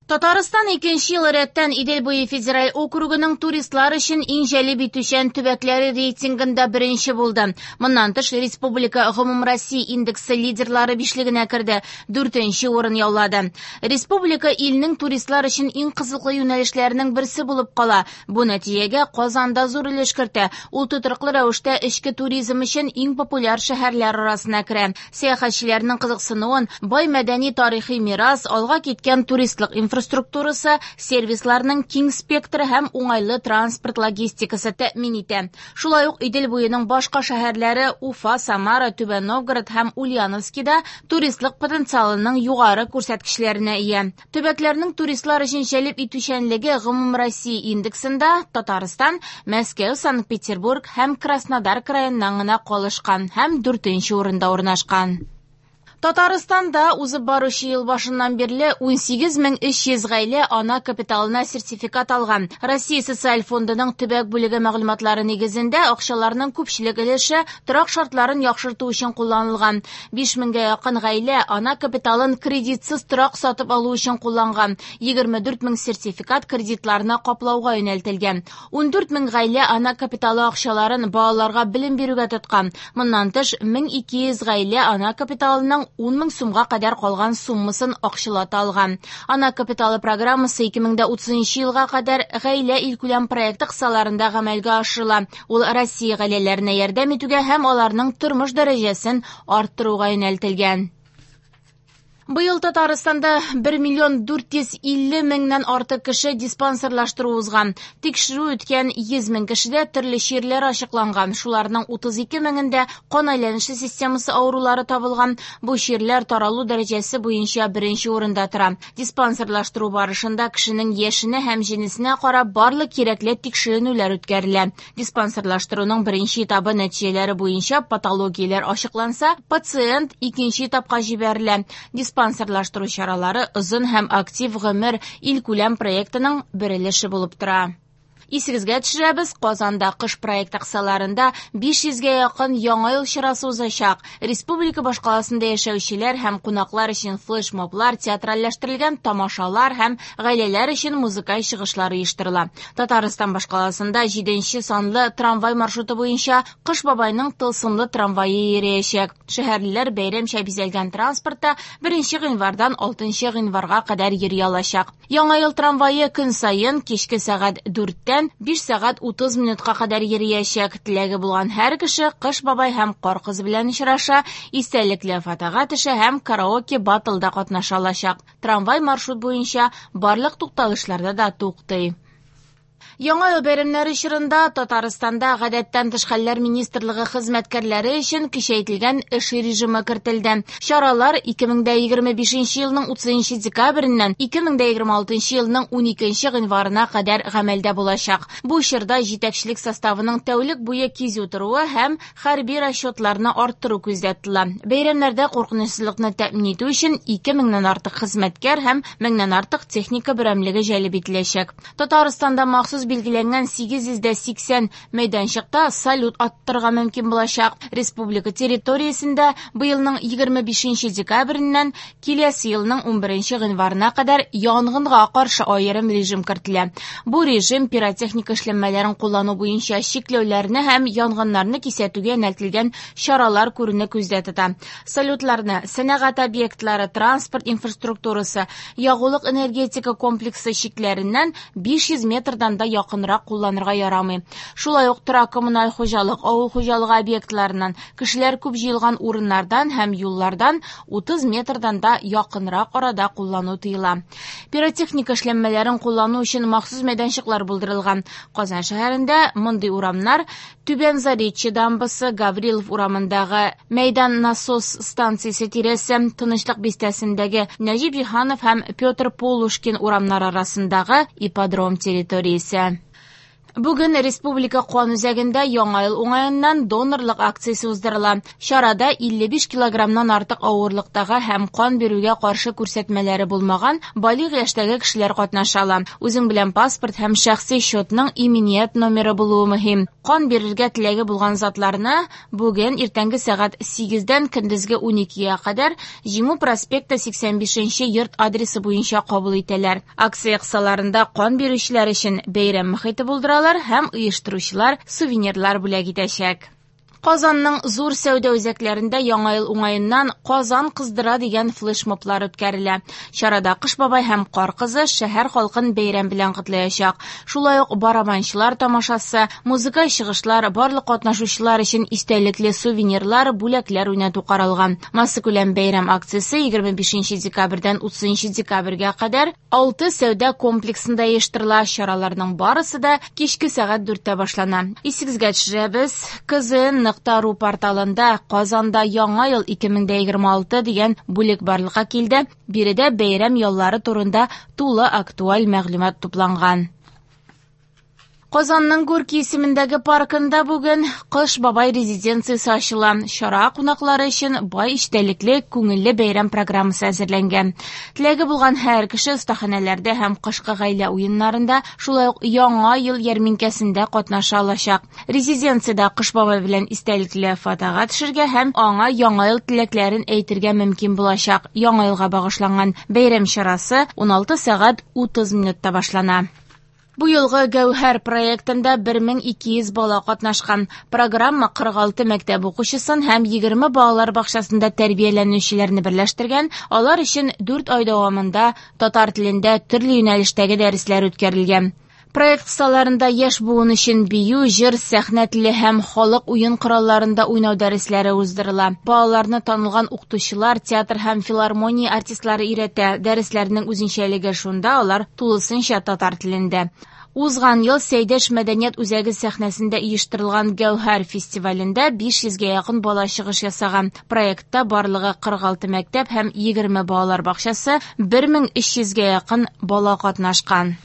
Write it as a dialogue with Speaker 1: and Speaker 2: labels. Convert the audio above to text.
Speaker 1: Татарстан икенче ел рәттән Идел буе федераль округының туристлар өчен иң җәлеп итүчән төбәкләре рейтингында беренче булды. Моннан тыш, республика Гомумроссия индексы лидерлары бишлегенә керде, дүртенче урын яулады. Республика илнең туристлар өчен иң кызыклы юнәлешләренең берсе булып кала. Бу нәтиҗәгә Казан да зур өлеш кертә. Ул тотрыклы рәвештә эчке туризм өчен иң популяр шәһәрләр арасына керә. Сәяхәтчеләрнең кызыксынуын бай мәдәни-тарихи мирас, алга киткән туристлык инфраструктурасы, сервисларның киң спектры һәм уңайлы транспорт логистикасы тәэмин итә. Шулай ук Идел буеның башка шәһәрләре Уфа, Самара, Түбән Новгород һәм Ульяновскида туристлык потенциалының югары күрсәткечләренә ия. Төбәкләрнең туристлар өчен җәлеп итүчәнлеге Гомумроссия индексында Татарстан Мәскәү, Санкт-Петербург һәм Краснодар краеннан гына калышкан һәм дүртенче урында урнашкан. Татарстанда узып баручы ел башыннан бирле 18300 гаилә ана капиталына сертификат алган. Россия социаль фондының төбәк бүлеге мәгълүматлары нигезендә акчаларның күпчелек өлеше торак шартларын яхшырту өчен кулланылган. 5000гә якын гаилә ана капиталын кредитсыз торак сатып алу өчен кулланган. 24 мең сертификат кредитларны каплауга юнәлтелгән. 14 мең гаилә ана капиталы акчаларын балаларга белем бирүгә тоткан. Моннан тыш 1200 гаилә ана капиталының 10 мең сумга кадәр калган суммасын акчалата алган. Ана капиталы программасы 2030 елга кадәр гаилә илкүләм проекты кысаларында гамәлгә ашырыла. Ул Россия гаиләләренә ярдәм итүгә һәм аларның тормыш дәрәҗәсен арттыруга юнәлтелгән. Быел Татарстанда 1 миллион 450 меңнән артык кеше диспансерлаштыру узган. Тикшерү үткән 100 мең кешедә төрле чирләр ачыкланган. Шуларның 32 меңендә кан әйләнеше системасы авырулары табылган. Бу чирләр таралу дәрәҗәсе буенча беренче урында тора. Диспансерлаштыру барышында кешенең яшенә һәм җенесенә карап барлык кирәкле тикшеренүләр үткәрелә. Диспансерлаштыруның беренче этабы нәтиҗәләре буенча патологияләр ачыкланса, пациент икенче этапка җибәрелә. Диспансерлаштыру чаралары озын һәм актив гомер илкүләм проектының бер өлеше булып тора. Исегезгә төшерәбез, Казанда кыш проекты кысаларында 500гә якын яңа ел чарасы узачак. Республика башкаласында яшәүчеләр һәм кунаклар өчен флешмоблар, театральләштерелгән тамашалар һәм гаиләләр өчен музыкаль чыгышлар оештырыла. Татарстан башкаласында 7 санлы трамвай маршруты буенча Кыш бабайның тылсымлы трамвае йөриячәк. Шәһәрлеләр бәйрәмчә бизәлгән транспортта 1 гыйнвардан 6 гыйнварга кадәр йөри алачак. Яңа ел трамвае көн саен кичке сәгать 4-тән 5 сәгать 30 минутка кадәр йөриячәк. Теләге булган һәр кеше Кыш бабай һәм Кар кызы белән очраша, истәлекле фотога төшә һәм караоке батлда катнаша алачак. Трамвай маршрут буенча барлык тукталышларда да туктый. Яңа ел бәйрәмнәре чорында Татарстанда гадәттән тыш хәлләр министрлыгы хезмәткәрләре өчен көчәйтелгән эш режимы кертелде. Чаралар 2025 елның 30 декабреннән 2026 елның 12 гыйнварына кадәр гамәлдә булачак. Бу чорда җитәкчелек составының тәүлек буе кизү торуы һәм хәрби расчетларны арттыру күздә тотыла. Бәйрәмнәрдә куркынычсызлыкны тәэмин итү өчен 2000-нән артык хезмәткәр һәм 1000-нән артык техника берәмлеге җәлеп ителәчәк. Татарстанда махсус билгеләнгән 880 мәйданчыкта салют аттырырга мөмкин булачак. Республика территориясендә быелның 25 декабреннән киләсе елның 11 гыйнварына кадәр янгынга каршы аерым режим кертелә. Бу режим пиротехника эшләнмәләрен куллану буенча чикләүләрне һәм янгыннарны кисәтүгә юнәлтелгән чаралар күрүне күздә тота. Салютларны сәнәгать объектлары, транспорт инфраструктурасы, ягулык энергетика комплексы чикләреннән 500 метрдан да якынрак кулланырга ярамый. Шулай ук торак коммуналь хуҗалык, авыл хуҗалыгы объектларыннан, кешеләр күп җыелган урыннардан һәм юллардан 30 метрдан да якынрак арада куллану тыела. Пиротехника эшләнмәләрен куллану өчен махсус мәйданчыклар булдырылган. Казан шәһәрендә мондый урамнар Түбән Заречье дамбасы, Гаврилов урамындагы Мәйдан насос станциясе тирәсе, Тынычлык бистәсендәге Нәҗип Җиһанов һәм Петр Полушкин урамнары арасындагы ипподром территориясе. Бүген Республика кан үзәгендә Яңа ел уңаеннан донорлык акциясе уздырыла. Чарада 55 килограммнан артык авырлыктагы һәм кан бирүгә каршы күрсәтмәләре булмаган балигъ яшьтәге кешеләр катнаша ала. Үзең белән паспорт һәм шәхси счетның иминият номеры булуы мөһим. Кан бирергә теләге булган затларны бүген иртәнге сәгать 8-дән көндезге 12-гә кадәр Җиңү проспекты 85 йорт адресы буенча кабул итәләр. Акция кысаларында кан бирүчеләр өчен бәйрәм мохите булдыралар һәм оештыручылар сувенирлар бүләк итәчәк. Казанның зур сәүдә үзәкләрендә Яңа ел уңаеннан «Казан кыздыра» дигән флешмоблар үткәрелә. Чарада Кыш бабай һәм Кар кызы шәһәр халкын бәйрәм белән котлаячак. Шулай ук барабанчылар тамашасы, музыкаль чыгышлар, барлык катнашучылар өчен истәлекле сувенирлар, бүләкләр уйнату каралган. Массакүләм бәйрәм акциясе 25 декабрьдән 30 декабрьгә кадәр 6 сәүдә комплексында оештырыла. Чараларның барысы да кичке сәгать 4-тә башлана. Исегезгә төшерәбез, kzn.ru порталында Казанда Яңа ел 2026 дигән бүлек барлыкка килде. Биредә бәйрәм яллары турында тулы актуаль мәгълүмат тупланган. Казанның Горький исемендәге паркында бүген Кыш бабай резиденциясе ачыла. Чара кунаклары өчен бай эчтәлекле, күңелле бәйрәм программасы әзерләнгән. Теләге булган һәр кеше остаханәләрдә һәм кышкы гаилә уеннарында, шулай ук Яңа ел ярминкәсендә катнаша алачак. Резиденциядә Кыш бабай белән истәлекле фотога төшергә һәм аңа Яңа ел теләкләрен әйтергә мөмкин булачак. Яңа елга багышланган бәйрәм чарасы 16 сәгать 30 минутта башлана. Бу елгы Гәүһәр проектында 1200 бала катнашкан. Программа 46 мәктәп укучысын һәм 20 балалар бакчасында тәрбияләнүчеләрне берләштергән. Алар өчен 4 ай дәвамында татар телендә төрле юнәлештәге дәресләр үткәрелгән. Проект кысаларында яшь буын өчен бию, җыр, сәхнә теле һәм халык уен коралларында уйнау дәресләре уздырыла. Балаларны танылган укытучылар, театр һәм филармония артистлары өйрәтә. Дәресләрнең үзенчәлеге шунда, алар тулысынча татар телендә. Узган ел Сәйдәш мәдәният үзәге сәхнәсендә оештырылган Гәүһәр фестивалендә 500гә якын бала чыгыш ясаган. Проектта барлыгы 46 мәктәп һәм 20 балалар бакчасы, 1300гә якын бала катнашкан.